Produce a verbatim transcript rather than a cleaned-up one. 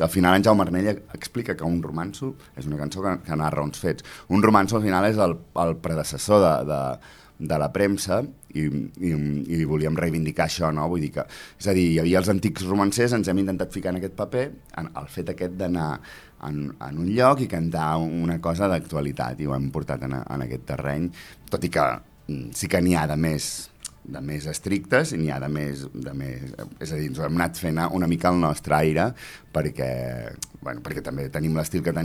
Al final en Jaume Arnell explica que un romanço és una cançó que, que narra uns fets. Un romanço al final és el, el predecessor de, de, de la premsa i, i, i volíem reivindicar això, no? Vull dir que, és a dir, hi havia els antics romancers, ens hem intentat ficar en aquest paper, en el fet aquest d'anar en, en un lloc i cantar una cosa d'actualitat, i ho hem portat en, en aquest terreny, tot i que sí que n'hi ha de més de més estrictes i n'hi ha de més, de més... És a dir, ens ho hem anat fent una mica al nostre aire perquè, bueno, perquè també tenim l'estil que tenim